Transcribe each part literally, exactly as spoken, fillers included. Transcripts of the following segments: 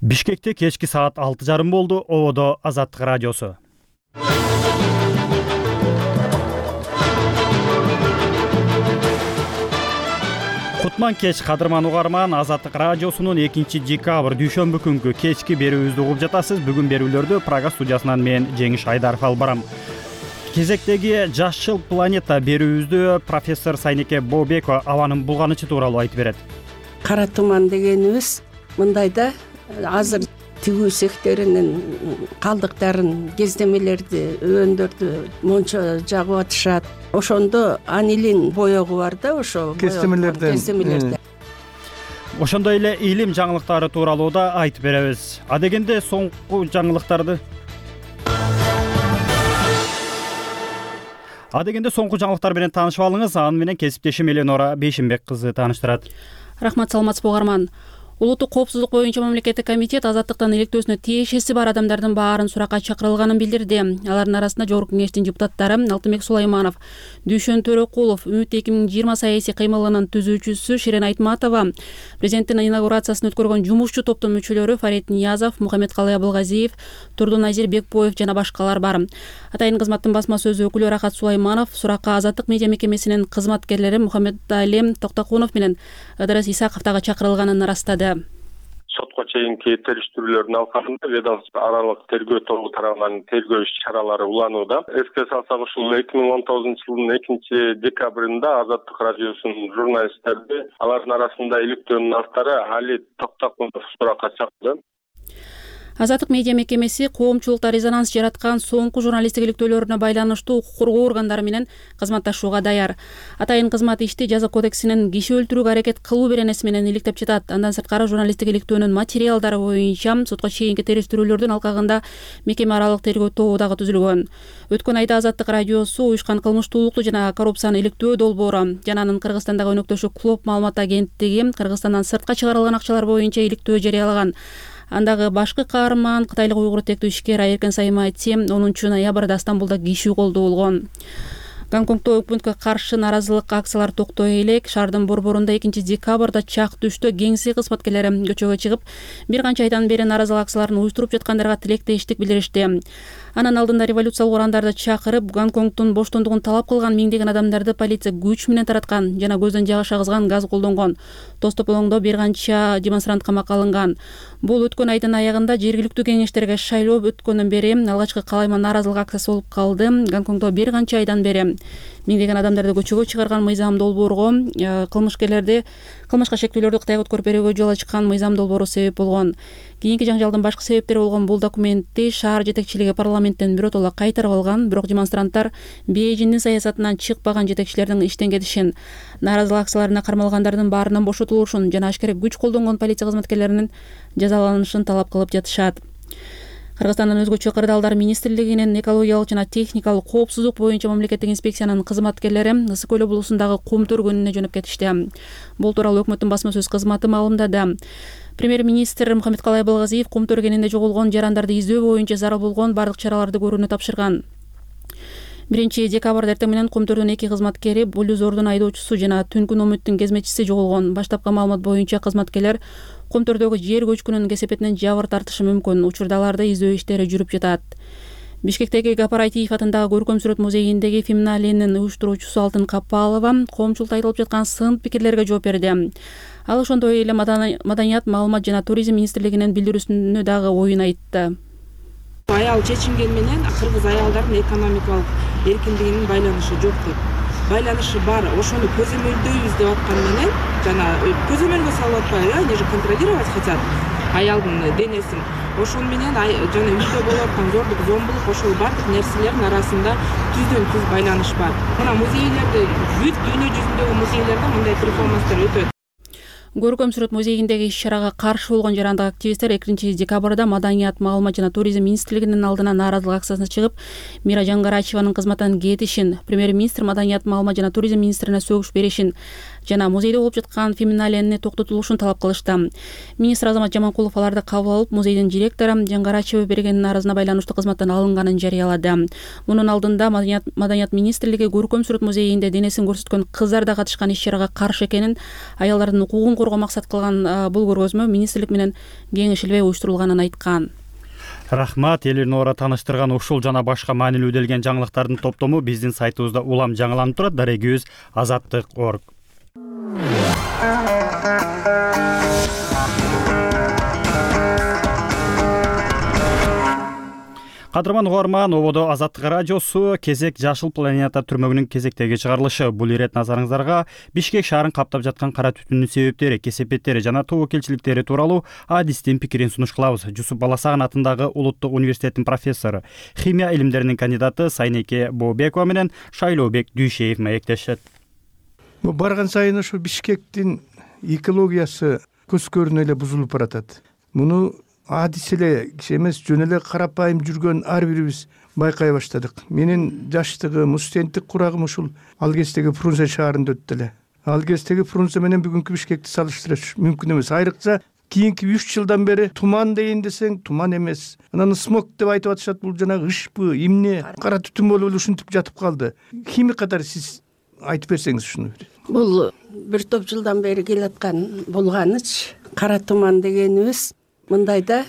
Бишкекте кечки саат алты жарым болду. Ободо Азаттык радиосу. Кутман кеч кадырман угарман, Азаттык радиосунун экинчи декабрь дүйшөмбү күнгү кечки берүүбүздү угуп жатасыз. Бүгүн берүүлөрдү Прага студиясынан мен Жеңиш Айдаров алып барам. Кезектеги Жашыл планета берүүбүздү профессор Сайнеке Бообекова абанын булганычы тууралуу айтып берет. Кара туман дегенибиз мындайда азыр тигүү цехтеринин калдыктарын, кездемелерди, өбөндөрдү мончо жагып атышат. Ошондо анилин боегу бар да, ошо кездемелерден. Кездемелерден. Ошондой эле илим жаңылыктары тууралуу да айтып беребиз. А дегенде соңку жаңылыктарды А дегенде соңку жаңылыктар менен таанышып алыңыз. Аны менен кесиптешим Эленора Бейшимбек кызы тааныштырат. Рахмат, саламатсызбы угарман. Улуттук коопсуздук боюнча мамлекеттик комитет азаттыктан иликтөөсүнө тиешеси бар адамдардын баарын суракка чакырылганын билдирди. Алардын арасында Жогорку кеңештин депутаттары Алтынбек Сулайманов, Дүйшөн Төрөкулов, Үмүт эки миң жыйырма саясий кыймылынын түзүүчүсү Ширен Айтматова, президенттин инаугурациясын өткөргөн жумушчу топтун мүчөлөрү Фарид Ниязов, Мухаммедкалый Абылгазиев, Турдуназир Бекбоев жана башкалар бар. Атайын кызматтын басма сөзү өкүлү Рахат Сулайманов суракка Азаттык медиа мекемесинин кызматкерлери Мухаммедали Токтокунов менен Ыдырыс Исаковдагы чакырылганын ырастады. Сотко чейинки териштирүүлөрдүн алкагында ведомство аралык тергөө тобу тарабынан тергөө иш-чаралары уланууда. Эске салсак, ушул эки миң он тогузунчу жылдын экинчи декабрында Азаттык радиосунун журналисттерди алардын арасында иликтөөнүн автары Али Токтокунов суракка чакырды. Азаттык медиа мекемеси коомчулукта резонанс жараткан соңку журналисттик иликтөөлөрүнө байланыштуу укук коргоо органдары менен кызматташууга даяр. Атайын кызмат ишти жаза кодексинин киши өлтүрүүгө аракет кылуу беренеси менен иликтеп жатат. Андан сырткары журналисттик иликтөөнүн материалдары боюнча сотко чейинки териштирүүлөрдүн алкагында мекеме аралык тергөө тобу дагы түзүлгөн. Өткөн айда Азаттык радиосу уюшкан кылмыштуулукту жана коррупцияны иликтөө долбоору жана анын Кыргызстандагы өнөктөшү Клоп маалымат агенттиги Кыргызстандан сыртка чыгарылган акчалар боюнча иликтөө жарыялаган. Андагы башкы каарман кытайлык уйгур тектүү ишкер Айеркен Саймати онунчу ноябрда Стамбулда киши колдоо болгон. Гонконгдо өкмөткө каршы наразылык акциялар токтой элек. Шаардын борборунда экинчи декабрда чак түштө кеңси кызматкерлери көчөгө чыгып, бир канча айдан бери наразылык акцияларын уюштуруп жаткандарга тилектештик билдиришти. Анын алдында революциялык урандарды чакырып, Гонконгдун боштондугун талап кылган миңдеген адамдарды полиция күч менен тараткан жана көздөн жагыш агызган газ колдонгон. Тостополоңдо бир канча демонстрант камакка алынган. Бул өткөн айдын аягында жергиликтүү кеңештерге шайлоо өткөндөн бери алгачкы калайма наразылык акциясы болуп калды. Гонконгдо бир канча айдан бери миңдеген адамдарды көчөгө чыгарган мыйзам долбоорго кылмышкерлерди кылмышка шектүүлөрдү Кытайга өткөрүп берүүгө жол ачкан мыйзам долбоору себеп болгон. Кийинки жаңжалдын башкы себептери болгон бул документти шаар жетекчилиги парламенттен биротоло кайтарып алган, бирок демонстранттар Бейжиңдин саясатынан чыкпаган жетекчилердин иштен кетишин, наразылык акцияларына кармалгандардын баарынан бошотулушун жана ашкере күч колдонгон полиция кызматкерлеринин жазаланышын талап кылып жатышат. Кыргызстандын өзгөчө кырдаалдар министрлигинин экологиялык жана техникалык коопсуздук боюнча мамлекеттик инспекциянын кызматкерлери Ысык көл облусундагы кум төргөнүнө жөнөп кетишти. Бул тууралуу өкмөттүн басма сөз кызматы маалымдады. Премьер-министр Мухаммедкалый Абылгазиев кум төргөнүндө жоголгон жарандарды издөө боюнча зарыл болгон бардык чараларды көрүүнү тапшырган. биринчи декабрда эртең менен кум төрдүн эки кызматкери, Булюзордун айдоочусу жана Түнкү Номуттун кезмечиси жоголгон. Баштапкы маалымат боюнча кызматкерлер кум төрдөгү жер көчкүнүнүн кесепетинен жабыр тартышы мүмкүн. Учурда аларды издөө иштери жүрүп жатат. Бишкектеги Гапар Айтиев атындагы көркөм сүрөт музейиндеги феминалинин уюштуруучусу Алтын Капалова коомчулукта айтылып жаткан сын пикирлерге жооп берди. Ал ошондой эле Маданият, маалымат жана туризм министрлигинин билдирүүсүнө дагы оюн айтты. Аял чечинген менен кыргыз аялдардын экономикалык эркиндигинин байланышы жок деп. Байланышы бар. Ошону көзөмөлдөйбүз деп аткан менен жана көзөмөлгө салып атпайбы, они же контролировать хотят аялдын денесин. Ошон менен жана үйдө болуп аткан зордук, зомбулук, ошол бардык нерселердин арасында түздөн түз байланыш бар. Мына музейлерде, бүт дүйнө жүзүндөгү музейлерде мындай перформанстар өтөт. Көркөм сүрөт музейиндеги иш-чарага каршы болгон жарандык активисттер экинчи декабрда Маданият, маалымат жана туризм министрлигинин алдына нааразылык акциясына чыгып, Мира Жангарачеванын кызматтан кетишин, премьер-министр Маданият, маалымат жана туризм министрине сөгүш беришин, жана музейде болуп жаткан феминалияны токтотулушун талап кылышты. Министр Азамат Жаманкулов аларды кабыл алып, музейдин директору Жаңгарачева бергенин арызына байланыштуу кызматтан алынганын жарыялады. Мунун алдында Маданият, Маданият министрлиги көркөм сүрөт музейинде денесин көрсөткөн кыздар да катышкан иш-чарага каршы экенин, аялдардын укугун коргоо максат кылган бул көргөзмө министрлик менен кеңешилбей уюштурулганын айткан. Рахмат. Элинора тааныштырган ушул жана башка маанилүү делген жаңылыктардын топтому биздин сайтыбызда улам жаңыланып турат. Дарегибиз азаттык точка орг. Кадырман угарман, ободо Азаттык радиосу кезек Жашыл планета түрмөгүнүн кезектеги чыгарылышы. Бул ирет назарыңыздарга Бишкек шаарын каптап жаткан кара түтүндүн себептери, кесепеттери жана тобокелчиликтери тууралуу адистин пикирин сунуш кылабыз. Жусуп Баласаган атындагы Улуттук университеттин профессору, химия илимдеринин кандидаты Сайнеке Бообекова менен Шайлообек Дүйшеев маектешет. Барган сайын ушу Бишкектин экологиясы көзкөрүнө эле бузулуп баратат. Муну адис эле киши эмес, жөн эле карапайым жүргөн ар бирибиз байкай баштадык. Менин жаштыгым, студенттик курагым ушул ал кездеги Фрунзе шаарында өттү эле. Ал кездеги Фрунзе менен бүгүнкү Бишкекти салыштырыш мүмкүн эмес. Айрыкча кийинки үч жылдан бери туман дейин десең, туман эмес. Анан смог деп айтып атышат, бул жанагы ышпы, эмне, кара түтүн болуп эле ушинтип жатып калды. Химик катары сиз айтып берсеңиз ушуну. Бул бир топ жылдан бери келаткан булганыч, кара туман дегенибиз мындайда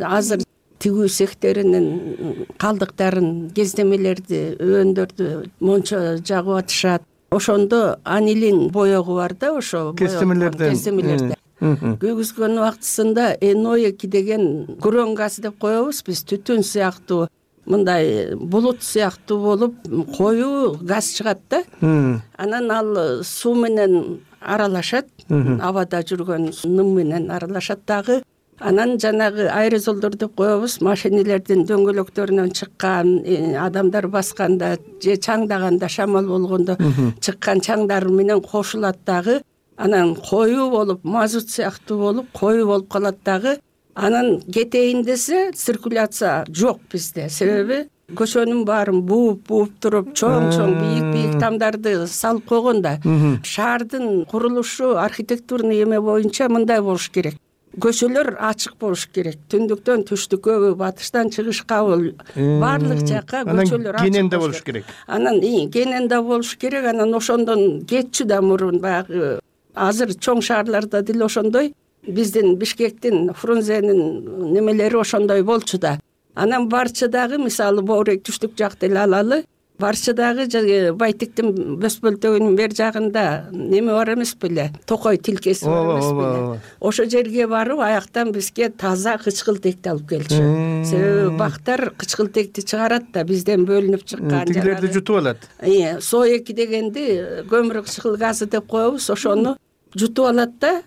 азыр тигүү цехтеринин калдыктарын, кездемелерди, өбөндөрдү мончо жагып атышат. Ошондо анилин боегу бар да, ошо кездемелерден. Кездемелерде. Күйгүзгөн убактысында эн о эки деген күрөң газ деп коебуз биз, түтүн сыяктуу, мындай булут сыяктуу болуп коюу газ чыгат да. Анан ал суу менен аралашат, абада жүргөн ным менен аралашат дагы. Анан жанагы аэрозолдор деп коебуз, машинелердин дөңгөлөктөрүнөн чыккан, адамдар басканда же чаңдаганда, шамал болгондо чыккан чаңдар менен кошулат дагы. Анан коюу болуп, мазут сыяктуу болуп, коюу болуп калат дагы. Анан кетейин десе, циркуляция жок бизде. Себеби көчөнүн баарын бууп-бууп туруп, чоң-чоң, бийик-бийик тамдарды салып койгонда, шаардын курулушу, архитектурный эме боюнча мындай болуш керек. Көчөлөр ачык болуш керек. Түндүктөн түштүккө, батыштан чыгышкабы баардык жакка көчөлөр ачык. Кененде болуш керек. Анан кененде болуш керек. Анан ошондон кетчү да мурун баягы азыр чоң шаарларда деле ошондой, биздин Бишкектин, Фрунзенин немелери ошондой болчу да. Анан Барчыдагы, мисалы, Боорек түштүк жакты эле алалы, Барчыдагы Байтиктин Бөспөлтөгүнүн бер жагында неме бар эмес беле? Токой тилкеси бар эмес беле? Ошо жерге барып, аяктан бизге таза кычкылтекти алып келчү. Себеби бактар кычкылтекти чыгарат да, бизден бөлүнүп чыккан. Тигилерди жутуп алат. Э, Со эки дегенди көмүр кычкыл газы деп коебуз, ошону жутуп алат да.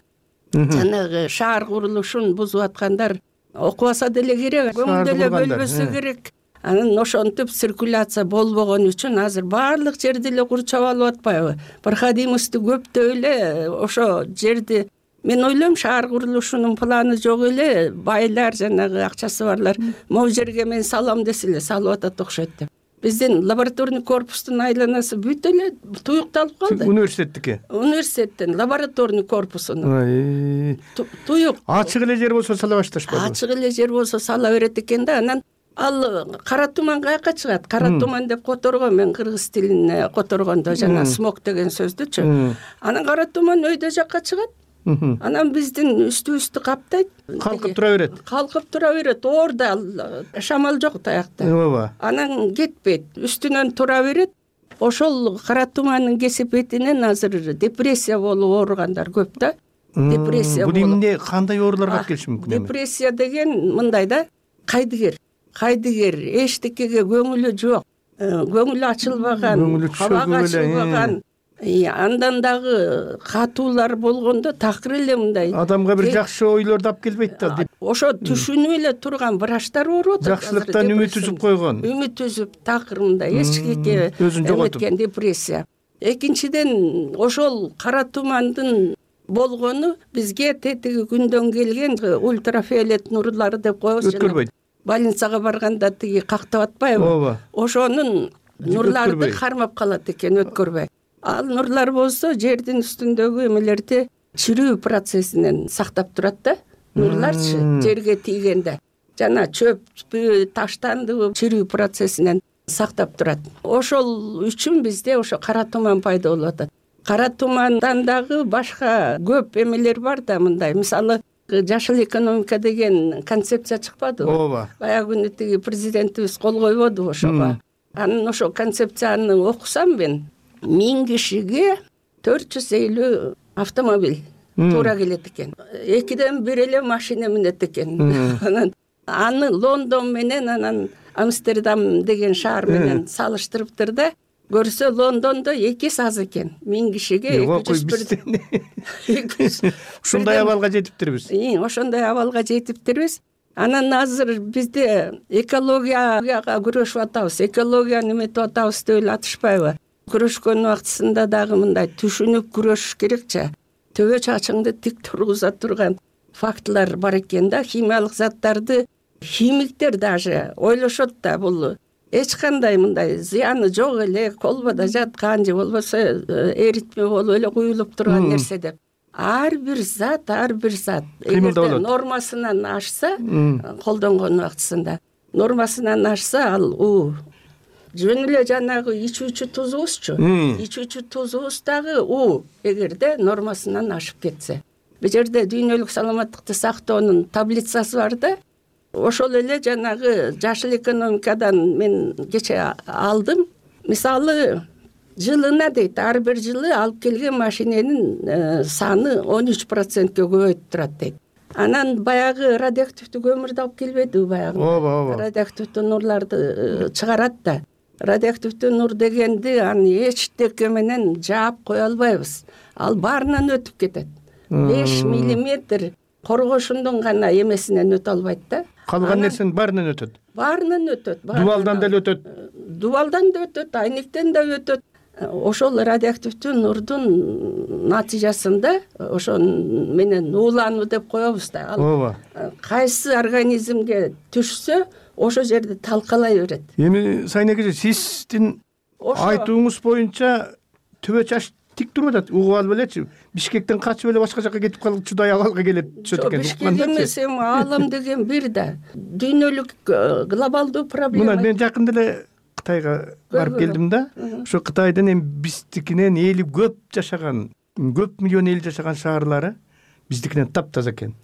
Жанагы шаар курулушун бузуп аткандар окубаса деле керек, көңүл деле бөлбөсө керек. Анан ошентип циркуляция болбогон үчүн азыр баардык жерди эле курчап алып атпайбы? Проходимости көптөп эле ошо жерди, мен ойлойм, шаар курулушунун планы жок эле, байлар, жанагы акчасы барлар могу жерге мен салам десе эле салып атат окшойт деп. Биздин лабораторный корпустун айланасы бүт эле туюкталып калды. Университеттики? Университеттин лабораторный корпусунун. Туюк. Ачык эле жер болсо сала башташпайбы? Ачык эле жер болсо сала берет экен да. Анан ал кара туман каяка чыгат? Кара туман деп которгон, мен кыргыз тилине которгондо жана смог деген сөздүчү. Анан кара туман өйдө жакка чыгат. Анан биздин үстүбүздү каптайт. Калкып тура берет. Калкып тура берет. Орда шамал жок таякта. Ооба. Анан кетпейт, үстүнөн тура берет. Ошол кара тумандын кесепетинен азыр депрессия болуп ооругандар көп да. Депрессия болуп. Бул эмне, кандай ооруларга алып келиши мүмкүн? Депрессия деген мындай да, кайдыгер. Кайдыгер, эчтекеге көңүлү жок, көңүлү ачылбаган, абага ачылбаган, андан дагы катуулар болгондо такыр эле мындай. Адамга бир жакшы ойлорду алып келбейт да деп. Ошо түшүнүп эле турган врачтар ооруп атат. Жакшылыктан үмүт үзүп койгон. Үмүт үзүп такыр мындай эчкеге эметкен депрессия. Экинчиден, ошол кара тумандын болгону бизге тетиги күндөн келген ультрафиолет нурлары деп коебуз. Өткөрбөйт. Больницага барганда тиги кактап атпайбы? Ооба. Ошонун нурларды кармап калат экен, өткөрбөй. ал нурлар болсо жердин үстүндөгү эмелерди чирүү процессинен сактап турат да. Нурларчы жерге тийгенде жана чөппү, таштандыбы чирүү процессинен сактап турат. Ошол үчүн бизде ошо кара туман пайда болуп атат. Кара тумандан дагы башка көп эмелер бар да, мындай мисалы жашыл экономика деген концепция чыкпадыбы? ооба. Баягы күнү тиги президентибиз кол койбодубу ошого? Анын ошо концепцияны окусам мен, миң кишиге төрт жүз элүү автомобиль туура келет экен. Экиден бир эле машина минет экен. Анан аны Лондон менен анан Амстердам деген шаар менен салыштырыптыр да, көрсө Лондондо эки эсе аз экен. Миң кишиге эки жүз бир. Ушундай абалга жетиптирбиз. Ошондой абалга жетиптирбиз. Анан азыр бизде экологияга күрөшүп атабыз, экологияны эметип атабыз деп эле атышпайбы? Күрөшкөн убактысында дагы мындай түшүнүп күрөшүш керекчи. Төбө чачыңды тик тургуза турган фактылар бар экен да, химиялык заттарды химиктер даже ойлошот да, бул эч кандай мындай зыяны жок эле, колбода жаткан же болбосо эритме болуп эле куюлуп турган нерсе деп. Ар бир зат, ар бир зат эгерде нормасынан ашса, колдонгон убактысында нормасынан ашса, ал у жөн эле жанагы ичүүчү тузубузчу, ичүүчү тузубуз дагы у эгерде нормасынан ашып кетсе. Бул жерде дүйнөлүк саламаттыкты сактоонун таблицасы бар да. Ошол эле жанагы жашыл экономикадан мен кече алдым. Мисалы, жылына дейт, ар бир жылы алып келген машиненин саны он үч процентке көбөйүп турат дейт. Анан баягы радиоактивдүү көмүрдү алып келбедиби баягы? Ооба, ооба. Радиоактивдүү нурларды чыгарат да. Радиоактивдүү нур дегенди аны эчтеке менен жаап кое албайбыз. Ал баарынан өтүп кетет. беш миллиметр коргошундун гана эмесинен өтө албайт да. Калган нерсенин баарынан өтөт. Баарынан өтөт. Дубалдан деле өтөт. Дубалдан да өтөт, айнектен да өтөт. Ошол радиоактивдүү нурдун натыйжасында ошон менен уулануу деп коебуз да. Ооба. Кайсы организмге түшсө, ошол жерде талкалай берет. Эми Сайын эже, сиздин айтууңуз боюнча төбө чаш тик туруп атат. Угуп алып элечи, Бишкектен качып эле башка жака кетип калгучудай абалга келет түшөт экен. Бишкек эмес, эми аалам деген бир да. Дүйнөлүк глобалдуу проблема. Мына мен жакында эле Кытайга барып келдим да. Ошо Кытайдын эми биздикинен эли көп жашаган, көп миллион эл жашаган шаарлары биздикинен таптаза экен.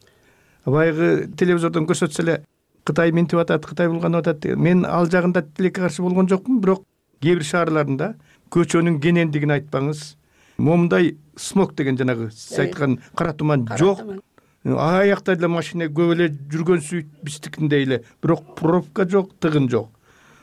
Баягы телевизордон көрсөтсө эле Кытай минтип атат, Кытай булганып атат. Мен ал жагында тилекке каршы болгон жокмун, бирок кээ бир шаарларында көчөнүн кенендигин айтпаңыз, момундай смог деген жанагы сиз айткан кара туман жок. Аякта деле машина көп эле жүргөнсү биздикиндей эле, бирок пробка жок, тыгын жок.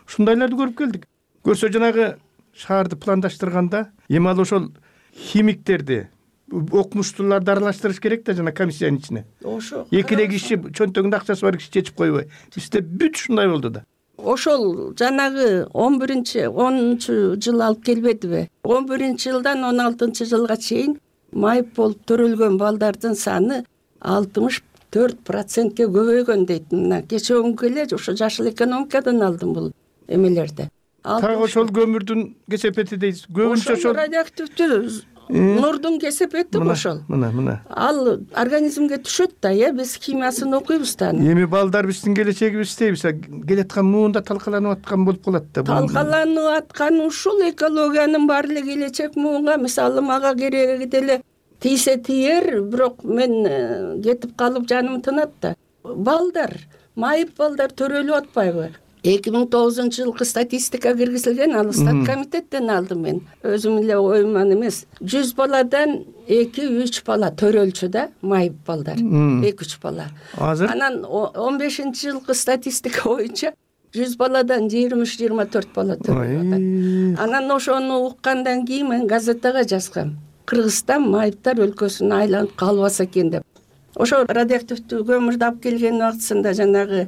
Ушундайларды көрүп келдик. Көрсө жанагы шаарды пландаштырганда, эми ал ошол химиктерди, окумуштууларды аралаштырыш керек да жана комиссиянын ичине. Ошо. Эки эле киши чөнтөгүндө акчасы бар киши чечип койбой. Бизде бүт ушундай болду да. Ошол жанагы он биринчи, онунчу жыл алып келбедиби? он биринчи жылдан он алтынчы жылга чейин майып болуп төрөлгөн балдардын саны алтымыш төрт процентке көбөйгөн дейт. Мына кече күнгө эле ошо жашыл экономикадан алдым бул эмелерди. Так ошол көмүрдүн кесепети дейсиз. Көбүнчө ошол радиоактивдүү нурдун кесепети ошол. Мына, мына. Ал организмге түшөт да, э, биз химиясын окуйбуз да. Эми балдар биздин келечегибиз дейбиз. Келаткан муунда талкаланып аткан болуп калат да. Талкаланып аткан ушул экологиянын баары эле келечек муунга, мисалы мага кереги деле тийсе тийер, бирок мен кетип калып жаным тынат да. Балдар, майып балдар төрөлүп атпайбы? эки миң тогузунчу жылкы статистика киргизилген, ал стат комитеттен алдым мен. Өзүм эле оюман эмес. жүз баладан эки үч бала төрөлчү да, майып балдар. эки үч бала. Азыр Анан он бешинчи жылкы статистика боюнча жүз баладан жыйырма үч жыйырма төрт бала төрөлүп атат. Анан ошону уккандан кийин мен газетага жазгам. Кыргызстан майыптар өлкөсүнө айланып калбаса экен деп. Ошо радиоактивдүү көмүрдү алып келген убактысында жанагы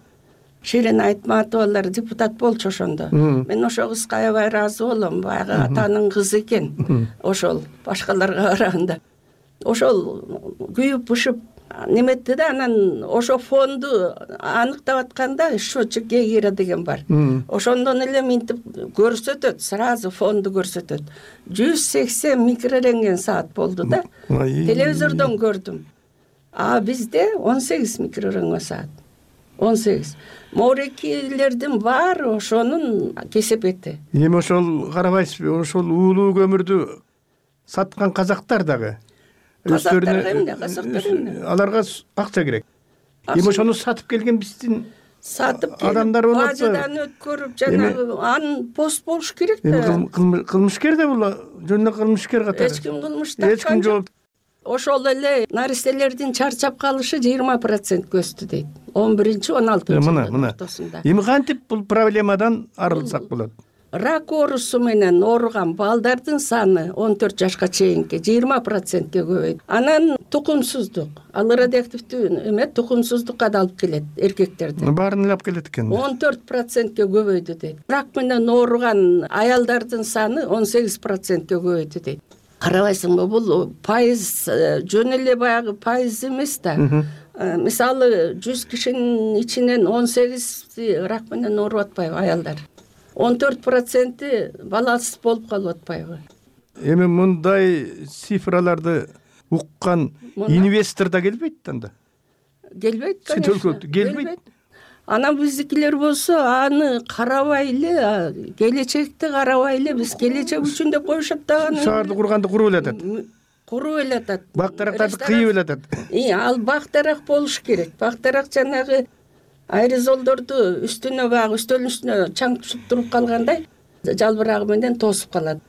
Ширин Айтматовалар депутат болчу ошондо. Мен ошо кызга аябай ыраазы болом. Баягы атанын кызы экен. Ошол башкаларга караганда. Ошол күйүп бышып неметти да, анан ошо фонду аныктап атканда счетчик Гейгера деген бар. Ошондон эле минтип көрсөтөт, сразу фонду көрсөтөт. жүз сексен микрорентген саат болду да. Телевизордон көрдүм. А бизде он сегиз микрорентген саат. он сегиз. Моорекилердин баары ошонун кесепети. Эми ошол карабайсызбы, ошол уулуу көмүрдү саткан казактар дагы өздөрүнө аларга акча керек. Эми ошону сатып келген биздин сатып адамдар болот. Базадан өткөрүп жанагы анын пост болуш керек да. Кылмышкер да бул, жөн эле кылмышкер катары. Эч ким кылмыш тапкан. Эч ким жооп. Ошол эле наристелердин чарчап калышы жыйырма процентке өстү дейт. он биринчи он алтынчы жылдын ортосунда. Эми кантип бул проблемадан арылсак болот? Рак оорусу менен ооруган балдардын саны он төрт жашка чейинки жыйырма процентке көбөйдү. Анан тукумсуздук, ал радиоактивдүү эме тукумсуздукка да алып келет эркектерди. Баарын эле алып келет экен. он төрт процентке көбөйдү дейт. Рак менен ооруган аялдардын саны он сегиз процентке көбөйдү дейт. Карабайсыңбы, бул пайыз жөн эле баягы пайыз эмес да. Мисалы жүз кишинин ичинен он сегизи рак менен ооруп атпайбы аялдар? он төрт проценти баласыз болуп калып атпайбы? Эми мындай цифраларды уккан инвестор да келбейт анда. Келбейт, конечно. Келбейт. Анан биздикилер болсо аны карабай эле, келечекти карабай эле, биз келечек үчүн деп коюшат дагы. Шаарды курганды куруп эле атат. Куруп эле атат. Бак-дарактарды кыйып эле атат. Ал бак-дарак болуш керек. Бак-дарак жанагы аэрозолдорду үстүнө баягы үстөлдүн үстүнө чаң түшүп туруп калгандай жалбырагы менен тосуп калат.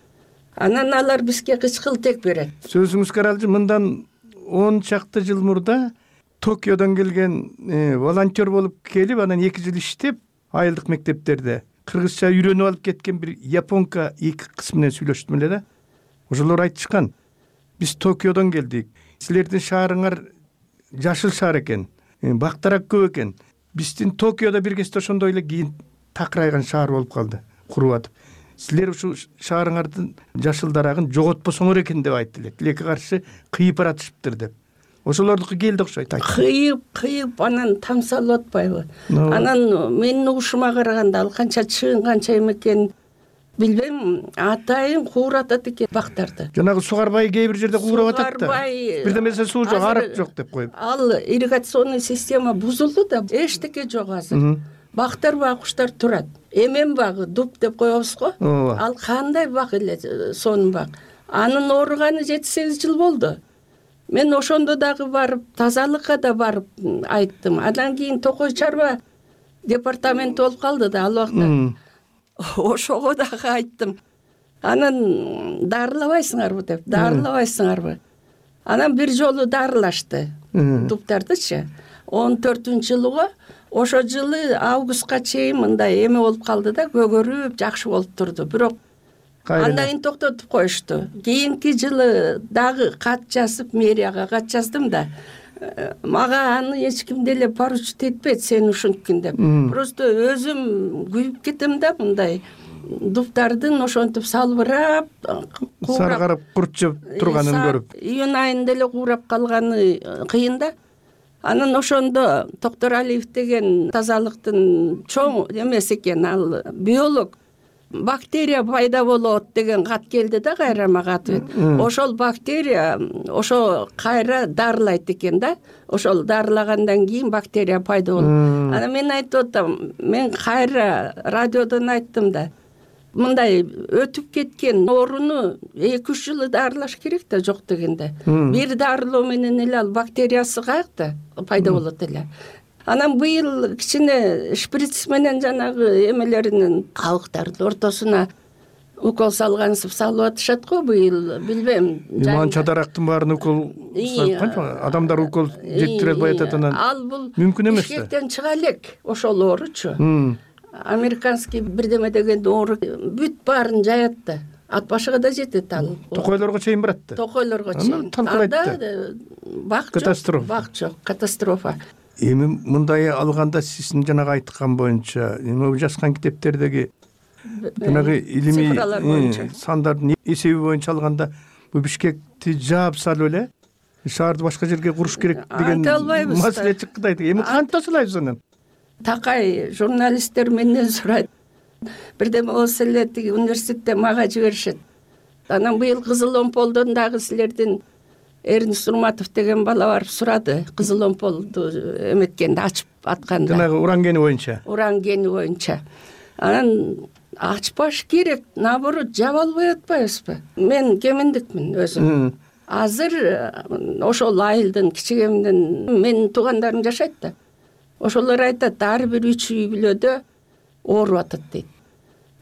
Анан алар бизге кычкылтек берет. Сөзүңүзгө каралчы, мындан он чакты жыл мурда Токиодон келген волонтер болуп келип, анан эки жыл иштеп, айылдык мектептерде кыргызча үйрөнүп алып кеткен бир японка эки кыз менен сүйлөштүм эле да. Ошолор айтышкан: биз Токиодон келдик. Силердин шаарыңар жашыл шаар экен, бактарак көп экен. Биздин Токиодо бир кезде ошондой эле кийин такырайган шаар болуп калды, куруп атып. Силер ушул шаарыңардын жашыл дарагын жоготпосоңор экен деп айтты эле. Тилекке каршы кыйып баратышыптыр деп. Ошолордуку келди окшойт. Кыйып, кыйып анан тамсалып атпайбы? Анан менин угушума караганда ал канча чыын, канча эме экен билбейм, атайын кууратат экен бактарды. Жанагы Сугарбай кээ бир жерде куурап атат да. Бирдемесе суу жок, арык жок деп коюп. Ал ирригационный система бузулду да, эчтеке жок азыр. Бактар ба куштар турат. Эмен багы, дуб деп коебуз го. Ал кандай бак эле, сонун бак. Анын ооруганы жети сегиз жыл болду. Мен ошондо дагы барып, тазалыкка да барып айттым. Андан кийин Токой чарба департаменти болуп калды да ал убакта. Ошого дагы айттым. Анан дарылабайсыңарбы деп, дарылабайсыңарбы. Анан бир жолу дарылашты дубтардычы. он төртүнчү жылыга, ошо жылы августка чейин мындай эме болуп калды да, көгөрүп, жакшы болуп турду. Бирок андан токтотуп коюшту. Кийинки жылы дагы кат жазып, мэрияга кат жаздым да. Мага аны эч ким деле поручить этпейт, сен ушунткин деп. Просто өзүм күйүп кетем да, мындай дубтардын ошентип салбырап, саргарып, курчуп турганын көрүп. Июнь айында эле куурап калганы кыйын да. Анан ошондо Токтор Алиев деген тазалыктын чоң эмеси экен, ал биолог. Бактерия пайда болот деген кат келди да кайра мага ответ. Ошол бактерия ошо кайра дарылайт экен да. Ошол дарылагандан кийин бактерия пайда болот. Анан мен айтып атам, мен кайра радиодон айттым да. Мындай өтүп кеткен ооруну эки үч жыл дарылаш керек да, жок дегенде. Бир дарылоо менен эле ал бактериясы каякта пайда болот эле. Анан быйыл кичине шприц менен жанагы эмелеринин кабыктардын ортосуна укол салгансып салып атышат го быйыл, билбейм. Манча дарактын баарын укол салып, адамдар укол жектире албай атат, анан ал бул мүмкүн эмес да. Ишкектен чыга элек ошол ооручу. Американский бирдеме деген оору бүт баарын жаят да. Ат башыга да жетет ал. Токойлорго чейин барат да. Токойлорго чейин. Анда бак жок, бак жок, катастрофа. Эми мындай алганда сиздин жанагы айткан боюнча, эми жазган китептердеги жанагы илимий сандардын эсеби боюнча алганда, бул Бишкекти жаап салып эле шаарды башка жерге куруш керек деген айта албайбыз да. маселе чыкты да. Эми кантип тосулайбыз анан? Такай журналисттер менден сурайт. Бирдеме болсо эле тиги университетте мага жиберишет. Анан быйыл Кызыл Омполдон дагы силердин Эрнис Урматов деген бала барып сурады. Кызыл Омполду эметкенде, ачып атканда. Жанагы уран гени боюнча. Уран гени боюнча. Анан ачпаш керек, наоборот, жаба албай атпайбызбы? Мен кеминдикмин өзүм. Азыр ошол айылдын кичигемдин менин туугандарым жашайт да. Ошолор айтат, ар бир үч үй бүлөдө ооруп атат дейт.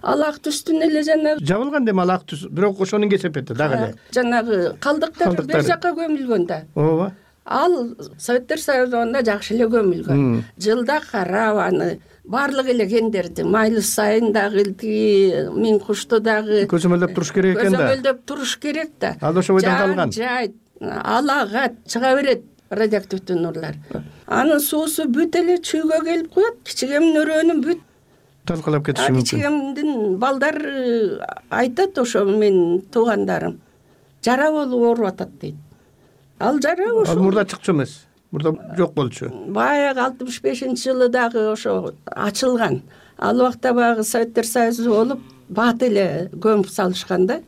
Ал ак түстүн эле жанагы Жабылган дем ал ак түс, бирок ошонун кесепети дагы эле. Жанагы калдыктар бер жакка көмүлгөн да. Ооба. Ал Советтер Союзунда жакшы эле көмүлгөн. Жылда карап аны баардык эле кендерди, Майлыс сайын дагы, тиги Миң кушту дагы көзөмөлдөп туруш керек экен да. Көзөмөлдөп туруш керек да. Ал ошо бойдон калган. Жай, алага чыга берет радиоактивдүү нурлар. Анын суусу бүт эле чүйгө келип коет, кичигемдин өрөөнүн бүт талкалап кетиши мүмкүн. Кичигемдин балдар айтат, ошо менин туугандарым жара болуп ооруп атат дейт. Ал жара ошо. Ал мурда чыкчу эмес. Мурда жок болчу. Баягы алтымыш бешинчи жылы дагы ошо ачылган. Ал убакта баягы Советтер Союзу болуп, бат эле көмүп салышкан да.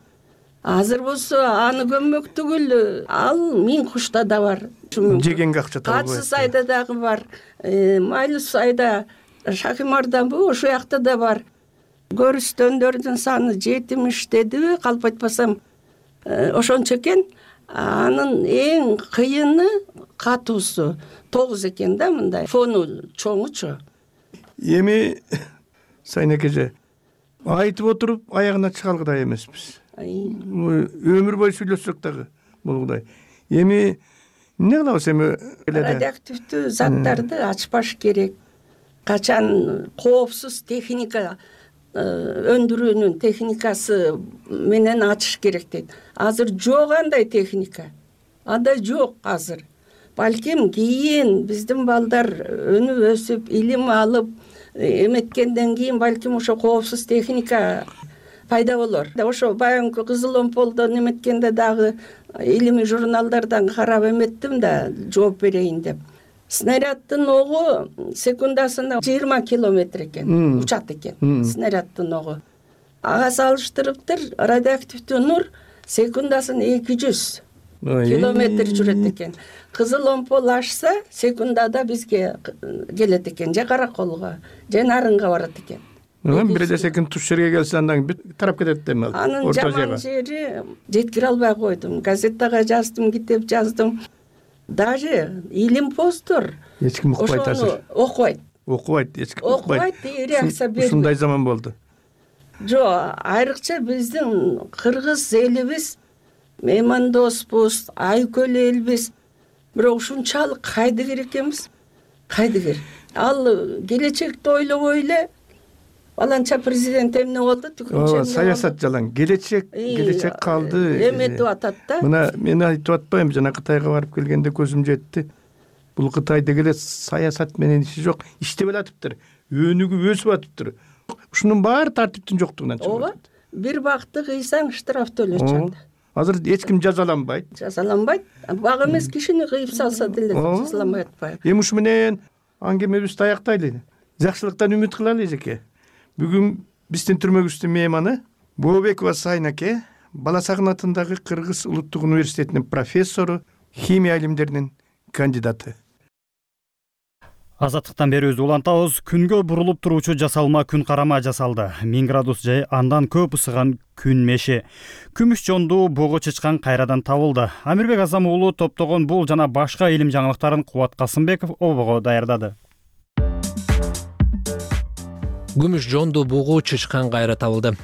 Азыр болсо аны көммөк түгүл, ал Миң кушта да бар. Жегенге акча табылбайт. Катсы сайда дагы бар. Майлыс сайда Шакимарданбы ошол жакта да бар. Көрүстөндөрдүн саны жетимиш дедиби, калп айтпасам ошончо экен. Анын эң кыйыны катуусу тогуз экен да, мындай фону чоңучу. Эми Сайын экеже айтып отуруп аягына чыга алгыдай эмеспиз. Өмүр бою сүйлөшсөк дагы болгудай. Эми эмне кылабыз эми? Радиоактивдүү заттарды ачпаш керек. Качан коопсуз техника өндүрүүнүн техникасы менен ачыш керек дейт. Азыр жок андай техника. Андай жок азыр. Балким кийин биздин балдар өнүп өсүп, илим алып эметкенден кийин балким ошо коопсуз техника пайда болор. Ошо баягы Кызыл Омполдон эметкенде дагы илимий журналдардан карап эметтим да, жооп берейин деп. Снаряддын огу секундасында жыйырма километр экен, учат экен снаряддын огу. Ага салыштырыптыр, радиоактивдүү нур секундасына эки жүз километр жүрөт экен. Кызыл Омпол ашса секундада бизге келет экен, же Караколго, же Нарынга барат экен. Бир эле секунд туш жерге келсе андан тарап кетет эми ал. Анын жаман жери жеткире албай койдум. Газеттага жаздым, китеп жаздым. Даже илим посттор эч ким укпайт азыр. Окубайт. Окубайт, эч ким укпайт. Окубайт, реакция бербейт. Ушундай заман болду. Жок, айрыкча биздин кыргыз элибиз меймандоспуз, айкөл элбиз. Бирок ушунчалык кайдыгер экенбиз. Кайдыгер. Ал келечекти ойлобой эле баланча президент эмне болду, түкүнчө саясат жалаң. Келечек, келечек калды. Эметип атат да. Мына мен айтып атпайм, жана Кытайга барып келгенде көзүм жетти. Бул Кытайда эле саясат менен иши жок, иштеп атыптыр. Өнүгүп өсүп атыптыр. Ушунун баары тартиптин жоктугунан чыгып атат. Ооба. Бир бакты кыйсаң штраф төлөчү. Азыр эч ким жазаланбайт. Жазаланбайт. Бак эмес кишини кыйып салса деле жазаланбай атпайбы. Эми ушу менен аңгемебизди аяктайлы. Жакшылыктан үмүт кылалы эжеке. Бүгүн биздин түрмөгүбүздүн мейманы Бообекова Сайын эке, Бала Сагын атындагы Кыргыз улуттук университетинин профессору, химия илимдеринин кандидаты. Азаттыктан берүүбүздү улантабыз. Күнгө бурулуп туруучу жасалма күн карама жасалды. миң градус же андан көп ысыган күн меши. Күмүш жондуу бого чычкан кайрадан табылды. Амирбек Азам уулу топтогон бул жана башка илим жаңылыктарын Кубат Касымбеков обого даярдады. Күмүш жондуу бугу чычкан кайра табылды.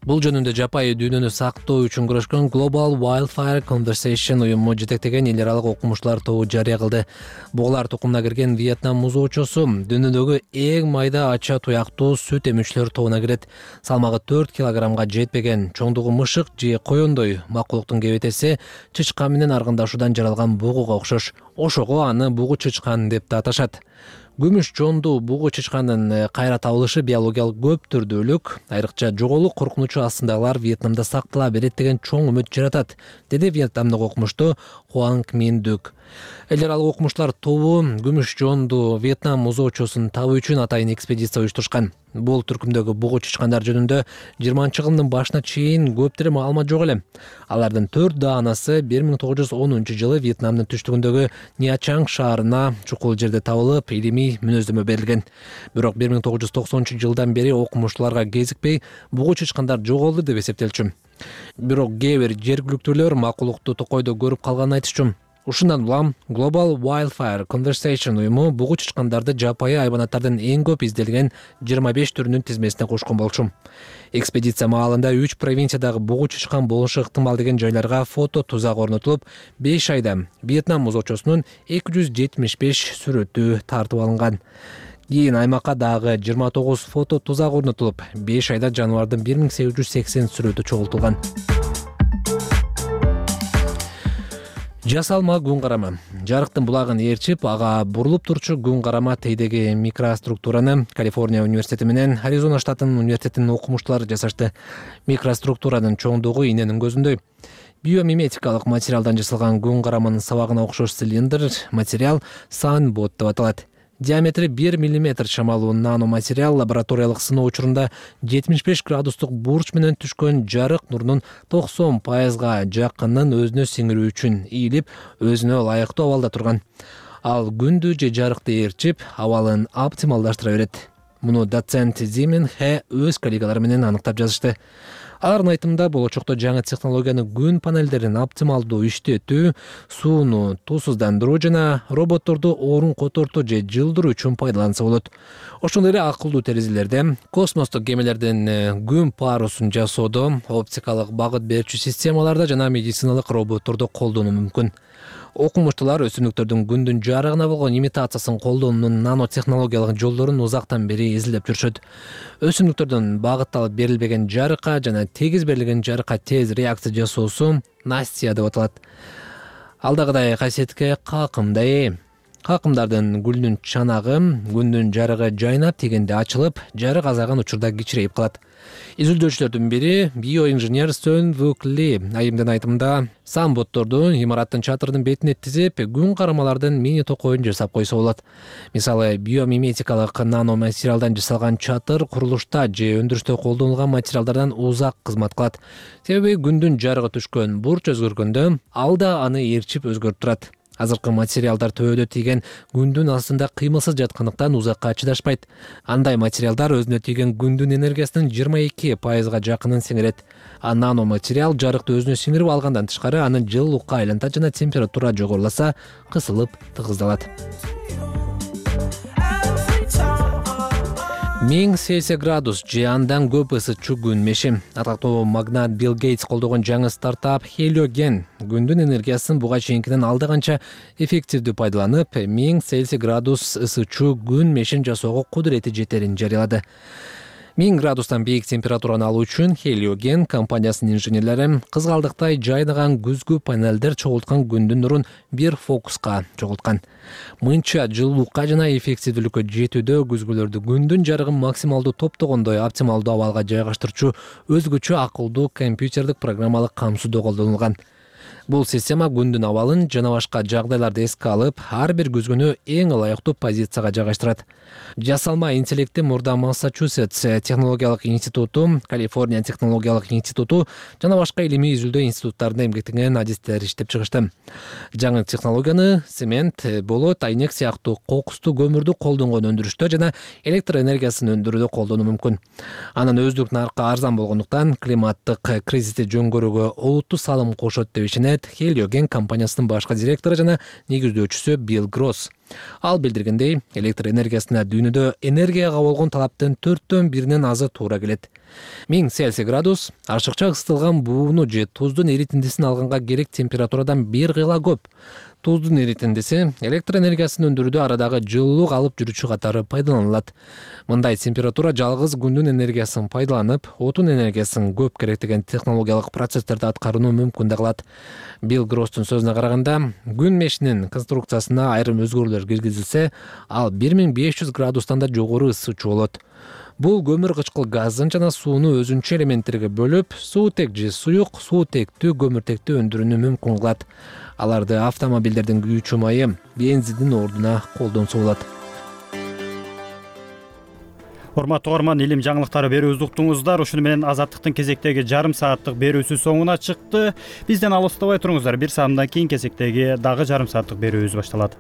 Бул жөнүндө жапайы дүйнөнү сактоо үчүн күрөшкөн Global Wildfire Conversation уюму жетектеген эл аралык окумуштуулар тобу жарыя кылды. Бугулар тукумуна кирген Вьетнам музоочосу дүйнөдөгү эң майда ача туяктуу сүт эмүүчүлөр тобуна кирет. Салмагы төрт килограммга жетпеген чоңдугу мышык же коёндой макулуктун кебетеси чычкан менен аргындашуудан жаралган бугуга окшош. Ошого аны бугу чычкан деп да аташат. Күмүш жондуу бугу чычкандын кайра табылышы биологиялык көп түрдүүлүк, айрыкча жоголук коркунучу астындагылар Вьетнамда сактала берет деген чоң үмүт жаратат, деди Вьетнамдык окумуштуу Хуанг Мин Дук. Эл аралык окумуштар тобу күмүш жонду Вьетнам музоочосун табуу үчүн атайын экспедиция уюштурушкан. Бул түркүмдөгү бугу чычкандар жөнүндө жыйырманчы кылымдын башына чейин көптөр маалымат жок эле. Алардын төрт даанасы бир миң тогуз жүз онунчу жылы Вьетнамдын түштүгүндөгү Ньячанг шаарына чукул жерде табылып, илимий мүнөздөмө берилген. Бирок бир миң тогуз жүз токсонунчу жылдан бери окумуштууларга кезикпей бугу чычкандар жоголду деп эсептелчү. Бирок кээ бир жергиликтүүлөр макулукту токойдо көрүп калганын айтышчу. Ушундан улам Global Wildfire Conversation уюму бугу чычкандарды жапайы айбанаттардын эң көп изделген жыйырма беш түрүнүн тизмесине кошкон болчу. Экспедиция маалында үч провинциядагы бугу чычкан болушу ыктымал деген жайларга фото тузак орнотулуп, беш айда Вьетнам музоочосунун эки жүз жетимиш беш сүрөтү тартып алынган. Кийин аймакка дагы жыйырма тогуз фото тузак орнотулуп, беш айда жаныбардын бир миң сегиз жүз сексен сүрөтү чогултулган. Жасалма күн карама. Жарыктын булагын ээрчип, ага бурулуп турчу күн карама тейдеги микроструктураны Калифорния университети менен Аризона штатынын университетинин окумуштуулары жасашты. Микроструктуранын чоңдугу иненин көзүндөй. Биомиметикалык материалдан жасалган күн караманын сабагына окшош цилиндр материал Sunbot деп аталат. Диаметри бир миллиметр шамалуу наноматериал лабораториялык сыноо учурунда жетимиш беш градустук бурч менен түшкөн жарык нурунун токсон пайызга жакынын өзүнө сиңирүү үчүн ийилип, өзүнө ылайыктуу абалда турган. Ал күндү же жарыкты ээрчип, абалын оптималдаштыра берет. Муну доцент Зимин Хэ өз коллегалары менен аныктап жазышты. Алардын айтымында болочокто жаңы технологияны күн панелдерин оптималдуу иштетүү, сууну туусуздандыруу жана роботторду орун котортуу же жылдыруу үчүн пайдаланса болот. Ошондой эле акылдуу терезелерде, космостук кемелердин күн парусун жасоодо, оптикалык багыт берүүчү системаларда жана медициналык роботторду колдонуу мүмкүн. Окумуштуулар өсүмдүктөрдүн күндүн жарыгына болгон имитациясын колдонуунун нанотехнологиялык жолдорун узактан бери изилдеп жүрүшөт. Өсүмдүктөрдүн багытталып берилбеген жарыкка жана тегиз берилген жарыкка тез реакция жасоосу Настя деп аталат. Алдагыдай касиетке какымдай ээ. Какымдардын гүлүнүн чанагы күндүн жарыгы жайнап тигенде ачылып, жарык азайган учурда кичирейип калат. Изилдөөчүлөрдүн бири биоинженер Сөн Вук Ли айымдын айтымында самботторду имараттын чатырынын бетине тизип, күн карамалардын мини токойун жасап койсо болот. Мисалы, биомиметикалык наноматериалдан жасалган чатыр курулушта же өндүрүштө колдонулган материалдардан узак кызмат кылат. Себеби күндүн жарыгы түшкөн бурч өзгөргөндө ал да аны ээрчип өзгөртүп турат. Азыркы материалдар төбөдө тийген күндүн астында кыймылсыз жаткандыктан узакка чыдашпайт. Андай материалдар өзүнө тийген күндүн энергиясынын жыйырма эки пайызга жакынын сиңирет. А наноматериал жарыкты өзүнө сиңирип алгандан тышкары аны жылуулукка айлантат жана температура жогоруласа, кысылып тыгыздалат. миң Цельсий градус же андан көп ысытчу күн меши. Атактуу магнат Билл Гейтс колдогон жаңы стартап Heliogen күндүн энергиясын буга чейинкинен алда канча эффективдүү пайдаланып, миң Цельсий градус ысытчу күн мешин жасоого кудурети жетерин жарыялады. миң градустан бийик температураны алуу үчүн Heliogen компаниясынын инженерлери кызгалдыктай жайнаган күзгү панелдер чогулткан күндүн нурун бир фокуска чогулткан. Мынча жылуулукка жана эффективдүүлүккө жетүүдө күзгүлөрдү күндүн жарыгын максималдуу топтогондой оптималдуу абалга жайгаштырчу өзгөчө акылдуу компьютерлик программалык камсыздоо колдонулган. Бул система күндүн абалын жана башка жагдайларды эске алып, ар бир күзгүнү эң ылайыктуу позицияга жайгаштырат. Жасалма интеллекти мурда Массачусетс технологиялык институту, Калифорния технологиялык институту жана башка илимий изилдөө институттарында эмгектенген адистер иштеп чыгышты. Жаңы технологияны цемент, болот, айнек сыяктуу кокустуу көмүрдү колдонгон өндүрүштө жана электр энергиясын өндүрүүдө колдонуу мүмкүн. Анын өздүк наркка арзан болгондуктан климаттык кризисти жөнгөрүүгө олуттуу салым кошот деп ишенет Heliogen компаниясынын башкы директору жана негиздөөчүсү Билл Гросс. Ал билдиргендей, электр энергиясына дүйнөдө энергияга болгон талаптын төрттөн биринен азы туура келет. миң Цельсий градус ашыкча ысытылган бууну же туздун эритиндисин алганга керек температурадан бир кыйла көп. Туздун эритиндиси электр энергиясын өндүрүүдө арадагы жылуулук алып жүрүүчү катары пайдаланылат. Мындай температура жалгыз күндүн энергиясын пайдаланып, отун энергиясын көп керектеген технологиялык процесстерди аткарууну мүмкүн да кылат. Билл Гросстун сөзүнө караганда, күн мешинин конструкциясына айрым өзгөрүүлөр киргизилсе, ал бир миң беш жүз градустан да жогору ысытчу болот. Бул көмүр кычкыл газын жана сууну өзүнчө элементтерге бөлүп, суутек же суюк, суутектүү көмүртекти өндүрүүнү мүмкүн кылат. аларды автомобилдердин күйүүчү майы, бензиндин ордуна колдонсо болот. Урматтуу угарман, илим жаңылыктары берүүбүздү уктуңуздар. Ушуну менен Азаттыктын кезектеги жарым сааттык берүүсү соңуна чыкты. Бизден алыстабай туруңуздар. Бир саамдан кийин кезектеги дагы жарым сааттык берүүбүз башталат.